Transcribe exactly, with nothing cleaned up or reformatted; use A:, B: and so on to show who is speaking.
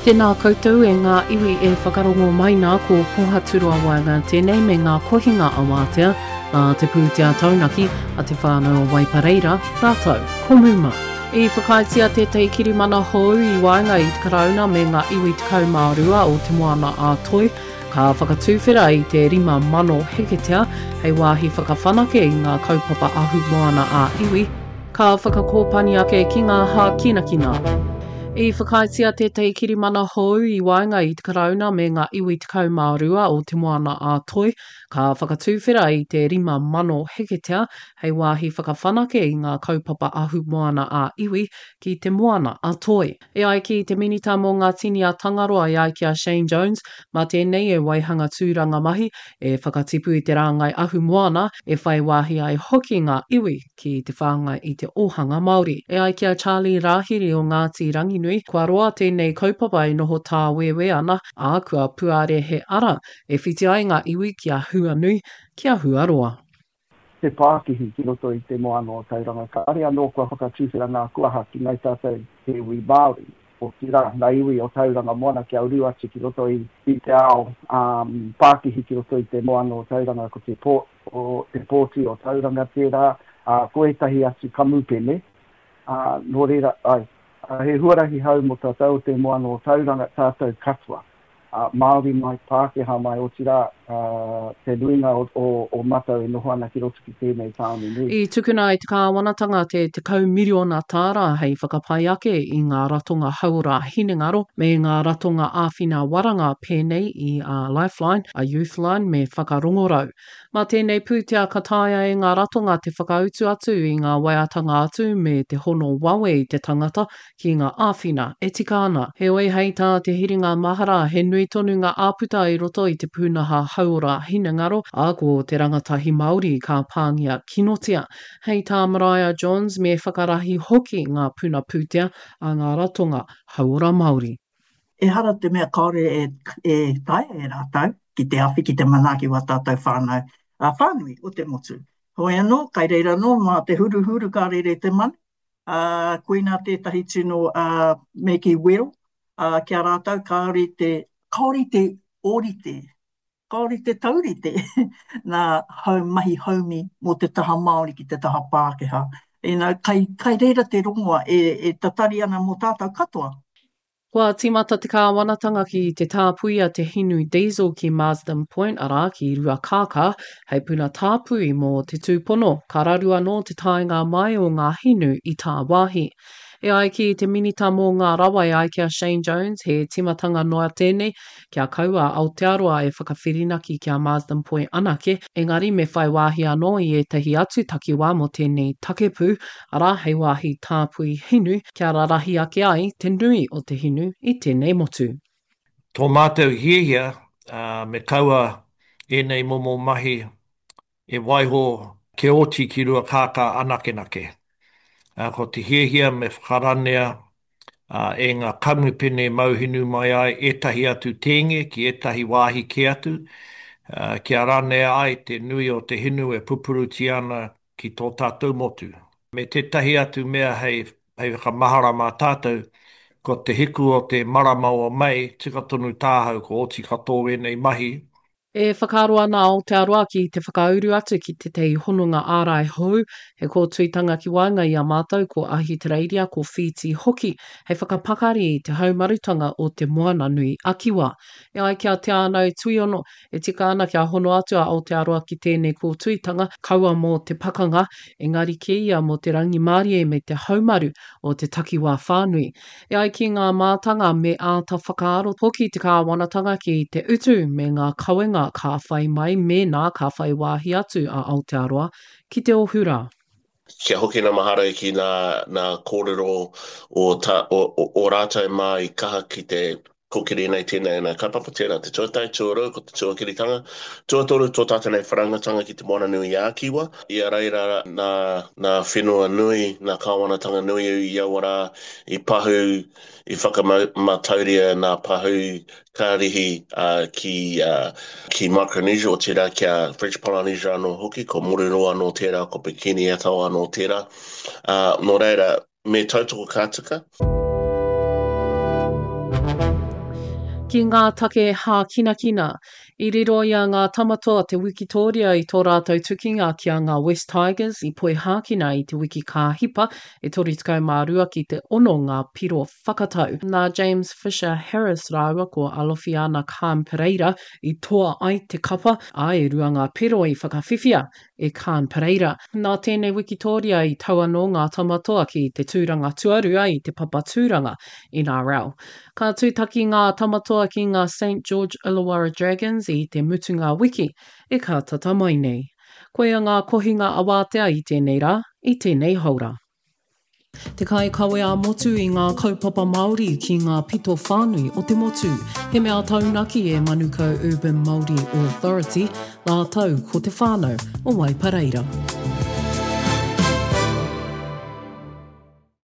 A: Tēnā koutou e ngā iwi e whakarongo mai nā ko Pohaturoa Waenga tēnei me ngā kohinga awātea a te pūtea taunaki a te whānau o Waipareira, rātou, ko Muma. I whakaaetia tētahi kirimana hou i waenga i te Karauna me ngā iwi tekau mā rua o Te Moana a Toi, ka whakatuwhera i te rima mano heketea hei wāhi whakawhanake i ngā kaupapa ahumoana ā-iwi, ka whakakōpani ake ki ngā hākinakina. I whakaaetia tētahi kirimana hou i waenga i te Karauna me ngā iwi tekau mā rua o Te Moana a Toi, ka whakatuwhera i te rima mano heketea hei wāhi whakawhanake i ngā kaupapa ahumoana ā-iwi ki Te Moana a Toi. E ai ki te Minita mō ngā Tini a Tangaroa e ai ki a Shane Jones, mā tēnei e waihanga tūranga mahi, e whakatipu i te rāngai ahumoana, e whai wāhi ai hoki ngā iwi ki te whāngai i te ōhanga Māori. E ai ki a Charlie Rāhiri o Ngāti Ranginui, kua roa tēnei kaupapa e noho tāwēwē ana, ā, kua puare he ara e whiti ai ngā iwi ki a Huanui, ki a Huaroa.
B: Te pākihi ki roto i te moana o Tauranga, kāre anō kua whakatuwhera ngā kuaha ki ngai tātou te iwi Māori, otirā, ngā iwi o Tauranga Moana kia uru atu ki roto i, i te ao um, pākihi ki roto i te moana o Tauranga, ko te, pō, o, te pōti o Tauranga tērā, ā, ko ētahi atu kamupene, ā, nō reira, ai, he huarahi hou mō tātou o te moana o Tauranga, tātou katoa, ā, Māori mai, Pākehā mai, otirā, ā, te nuinga o, o, o mātou e noho ana ki roto ki tēnei tāone nui.
A: I tukuna e te kāwanatanga te tekau miriona tāra hei whakapai ake i ngā ratonga hauora hinengaro me ngā ratonga āwhina waranga pēnei i a Lifeline, a Youthline me Whakarongorau. Mā tēnei pūtea ka taea e ngā ratonga te whakautu atu i ngā waiatanga atu me te hono wawe i te tangata ki ngā āwhina e tika ana. Heoi, hei tā Te Hiringa Mahara, he nui tonu ngā āputa i roto i te pūnaha hauora hinengaro, ā, ko te rangatahi Māori ka pāngia kinotia. Hei tā Maraea Johns, me whakarahi hoki ngā puna pūtea a ngā ratonga hauora Māori.
C: Ehara te mea kāore e, e taea e rātou ki te awhi, ki te manaaki wā tātou whānau ā, whānui o te motu. Hoi anō, kai reira anō mā te huruhuru ka rere te manu, ā, koinā tētahi tino ā, me kī wero ā, ki a rātou kāore te, kāore te ōrite, kāore te taurite nā hau mahi haumi mō te taha Māori ki te taha Pākehā. You know, kai, kai reira te rongoa e, e tatari ana mō tātou katoa.
A: Kua tīmata te kāwanatanga ki te tāpuia te hinu diesel ki Marsden Point, arā, ki Ruakākā, hei puna tāpui mō te tūpono ka raru anō te taenga mai o ngā hinu i tāwāhi. E ai ki te Minita mō ngā Rawa e ai ki a Shane Jones, he tīmatanga noa tēnei kia kaua a Aotearoa e whakawhirinaki ki a Marsden Point anake, engari me whai wāhi anō i ētahi atu takiwā mō tēnei takepū, arā, hei wāhi tāpui hinu, kia rarahi ake ai te nui o te hinu i tēnei motu.
D: Tō mātou hiahia, me kaua ēnei momo mahi e waiho kia oti ki Ruakākā anakenake. Ko te hiahia me whakaranea e ngā kamupene mauhinu mai ai ētahi atu tēnge ki ētahi wāhi kē atu, kia ranea ai te nui o te hinu e pupurutia ana ki tō tātou motu. Me tētahi atu mea hei hei whakamahara mā tātou, ko te hiku o te marama o Mei, tika tonu tāhau ko oti katoa ēnei mahi.
A: E whakaaro ana a Aotearoa ki te whakauru atu ki tētahi hononga ārai hou, he kōtuitanga ki waenga i a mātou ko Ahitereiria, ko Whītī hoki, hei whakapakari i te haumarutanga o Te Moananui a Kiwa. E ai ki a Te Ānau Tuiono, e tika ana kia hono atu a Aotearoa ki tēnei kōtuitanga, kaua mō te pakanga, engari kē ia mō te rangimārie me te haumaru o te takiwā whānui. E ai ki ngā mātanga me āta whakaaro hoki te kāwanatanga ki te utu me ngā kawenga ka whai mai mēnā ka whai wāhi atu a Aotearoa ki te ohu rā.
E: Kia hoki nā mahara ki nā, nā kōrero o, ta, o, o, o rātou mā i kaha ki te kōkiri nei tēnei nā kaupapa, tērā te tuatahi, tuarua ko te tuakiritanga, tuatoru tō tātou nei whanaungatanga ki Te Moananui-a-Kiwa, i a reira nā, nā whenua nui, nā kāwanatanga nui i aua rā i pahū, i whakamatauria nā pahū karihi ki, ki Micronesia, otirā ki a French Polynesia anō hoki, ko Moruroa anō tērā, ko Bikini Atoll anō tērā. Ā, nō reira, Me tautoko ka tika.
A: Ki ngā take hākinakina, i riro i a Ngā Tamatoa te wikitōria i tō rātou tukinga ki a Ngā West Tigers i Poihākena i te wiki ka hipa, e toru tekau mā rua ki te ono ngā piro whakatau. Nā James Fisher Harris rāua ko Alofiana Khan Pereira i toa ai te kapa, ā, e rua ngā piro i whakawhiwhia e Khan Pereira. Nā tēnei wikitōria i tau anō Ngā Tamatoa ki te tūranga tuarua i te papa tūranga N R L. Ka tūtaki Ngā Tamatoa ki ngā Saint George Illawarra Dragons i te mutunga wiki e ka tata mai nei. Koia ngā kohinga awātea i tēnei rā, i tēnei haora. Te kaikawe ā-motu i ngā kaupapa Māori ki ngā pito whānui o te motu. He mea taunaki e Manukau Urban Māori Authority rātou ko te whānau o Waipareira.